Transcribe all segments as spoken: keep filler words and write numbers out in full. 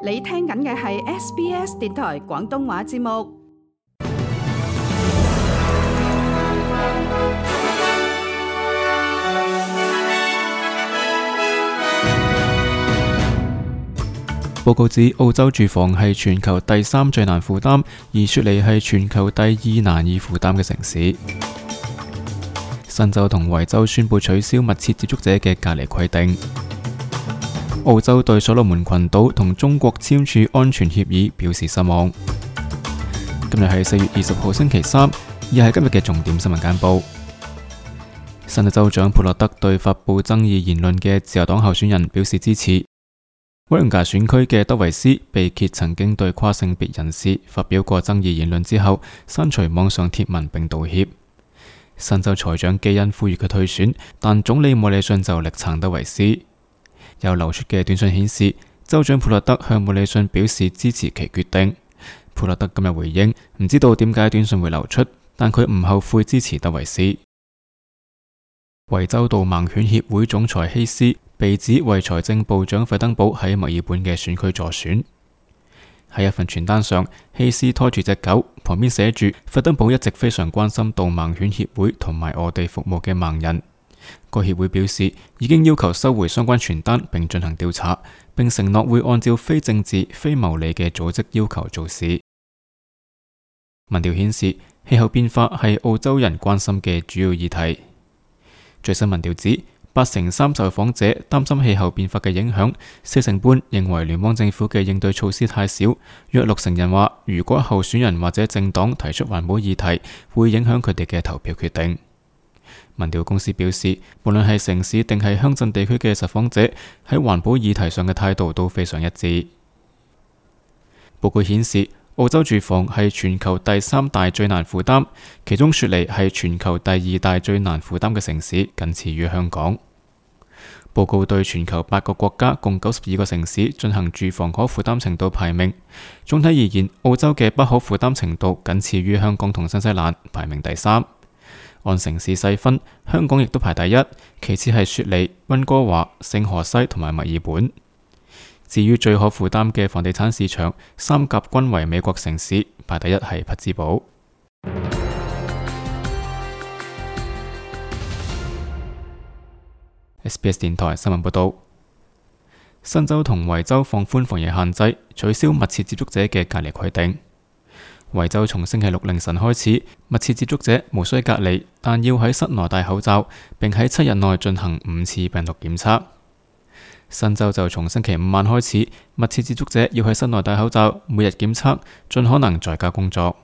你聽緊嘅係 S B S 電台廣東話節目。報告指澳洲住房係全球第三最難負擔，而雪梨係全球第二難以負擔嘅城市。新州同維州宣布取消密切接觸者嘅隔離規定。澳洲對所羅門群島同中國簽署安全協議表示失望。今日係四月二十號星期三，亦係今日嘅重點新聞簡報。新州州長普洛德對發布爭議言論嘅自由黨候選人表示支持。威廉加選區嘅德維斯被揭曾經對跨性別人士發表過爭議言論之後，刪除網上貼文並道歉。新州財長基恩呼籲佢退選，但總理莫里遜就力撐德維斯。有流出嘅短信顯示，州長普洛德向莫里遜表示支持其決定。普洛德今日回應，唔知道點解短信會流出，但佢唔後悔支持德維斯。維州導盲犬協會總裁希斯被指為財政部長費登堡喺墨爾本嘅選區助選。喺一份傳單上，希斯拖住隻狗，旁邊寫住費登堡一直非常關心導盲犬協會同埋我哋服務嘅盲人。該協會表示已經要求收回相關傳單並進行調查，並承諾會按照非政治、非牟利嘅組織要求做事。民調顯示氣候變化係澳洲人關心嘅主要議題。最新民調指八成三受訪者擔心氣候變化嘅影響，四成半認為聯邦政府嘅應對措施太少，約六成人話如果候選人或者政黨提出環保議題，會影響佢哋嘅投票決定。民調公司表示，無論係城市定係鄉鎮地區嘅受訪者喺環保議題上嘅態度都非常一致。報告顯示，澳洲住房係全球第三大最難負擔，其中雪梨係全球第二大最難負擔嘅城市，僅次於香港。報告對全球八個國家共九十二個城市進行住房可負擔程度排名。總體而言，澳洲嘅不可負擔程度僅次於香港同新西蘭，排名第三。按城市細分，香港亦都排第一，其次係雪梨、溫哥華、聖荷西同埋墨爾本。至於最可負擔嘅房地產市場，三甲均為美國城市，排第一係匹茲堡。S B S 電台新聞報道，新州同維州放寬防疫限制，取消密切接觸者嘅隔離規定。維州從星期六凌晨開始，密切接觸者無需隔離，但要喺室內戴口罩，並喺七日內進行五次病毒檢測。新州就從星期五晚開始，密切接觸者要喺室內戴口罩，每日檢測，盡可能在家工作。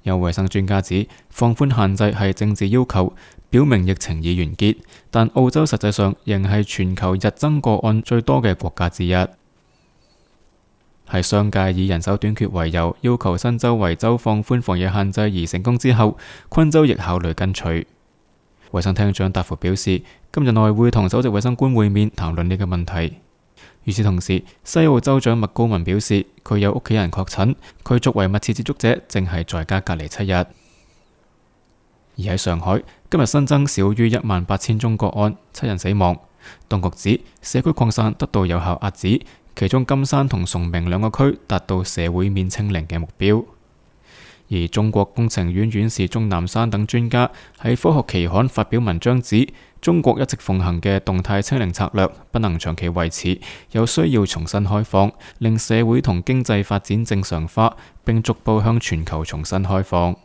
有衛生專家指，放寬限制係政治要求，表明疫情已完結，但澳洲實際上仍係全球日增個案最多嘅國家之一。喺商界以人手短缺為由，要求新州維州放寬防疫限制而成功之後，昆州亦考慮跟隨。衛生廳長達福表示，今日內會同首席衛生官會面談論呢個問題。與此同時，西澳州長麥高文表示，佢有屋企人確診，佢作為密切接觸者，正係在家隔離七日。而喺上海，今日新增少於一萬八千宗個案，七人死亡。當局指社區擴散得到有效遏止，其中金山同崇明兩個區達到社會面清零嘅目標。而中國工程院院士鍾南山等專家喺科學期刊發表文章指，中國一直奉行嘅動態清零策略不能長期維持，有需要重新開放，令社會同經濟發展正常化，並逐步向全球重新開放。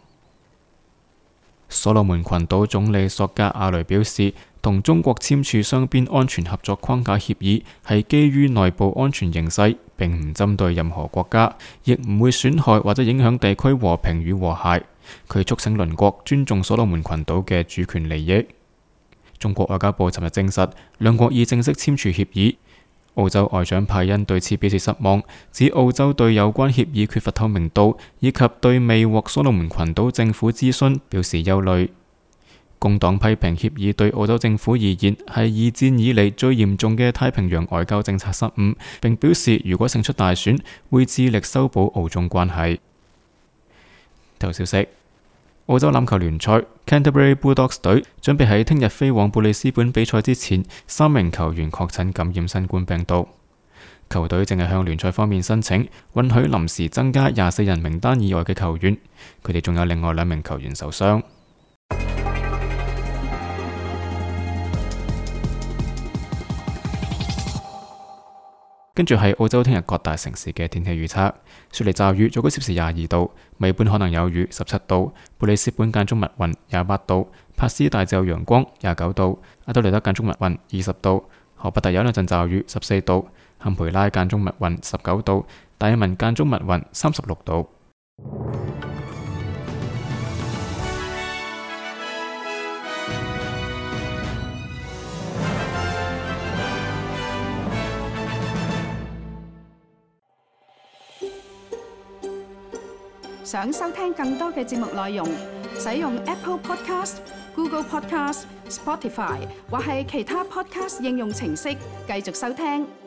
所羅門群島總理索加亞雷表示，同中國簽署雙邊安全合作框架協議係基於內部安全形勢，並唔針對任何國家，亦唔會損害或者影響地區和平與和諧。佢促請鄰國尊重所羅門群島嘅主權利益。中國外交部尋日證實，兩國已正式簽署協議。澳洲外長派恩對此表示失望，指澳洲對有關協議缺乏透明度，以及對未獲所羅門群島政府諮詢表示憂慮。工黨批評協議對澳洲政府而言係二戰以嚟最嚴重嘅太平洋外交政策失誤，並表示如果勝出大選，會致力修補澳中關係。體育消息：澳洲欖球聯賽 Canterbury Bulldogs 隊準備喺聽日飛往布里斯本比賽之前，三名球員確診感染新冠病毒。球隊正係向聯賽方面申請允許臨時增加廿四人名單以外嘅球員，佢哋仲有另外兩名球員受傷。跟住係澳洲聽日各大城市嘅天氣預測：雪梨驟雨，最高攝氏廿二度；墨爾本可能有雨，十七度；布里斯本間中密雲，廿八度；帕斯大致有陽光，廿九度；阿德萊德間中密雲，二十度；荷伯特有兩陣驟雨，十四度；坎培拉間中密雲，十九度；達爾文間中密雲，三十六度。想收聽更多嘅節目內容，使用 Apple Podcast、Google Podcast、Spotify 或係其他 Podcast 應用程式繼續收聽。